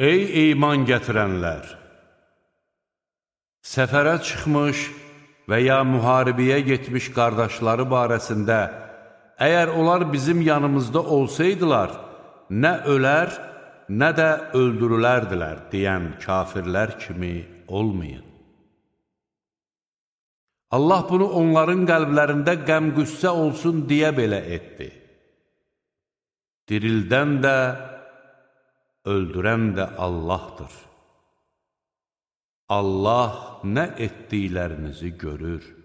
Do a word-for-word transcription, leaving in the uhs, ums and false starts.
Ey iman gətirənlər! Səfərə çıxmış və ya müharibəyə getmiş qardaşları barəsində, əgər onlar bizim yanımızda olsaydılar, nə ölər, nə də öldürülərdilər deyən kafirlər kimi olmayın. Allah bunu onların qəlblərində qəm-qüssə olsun deyə belə etdi. Dirildən də, öldürən də Allahdır. Allah nə etdiklərinizi görür.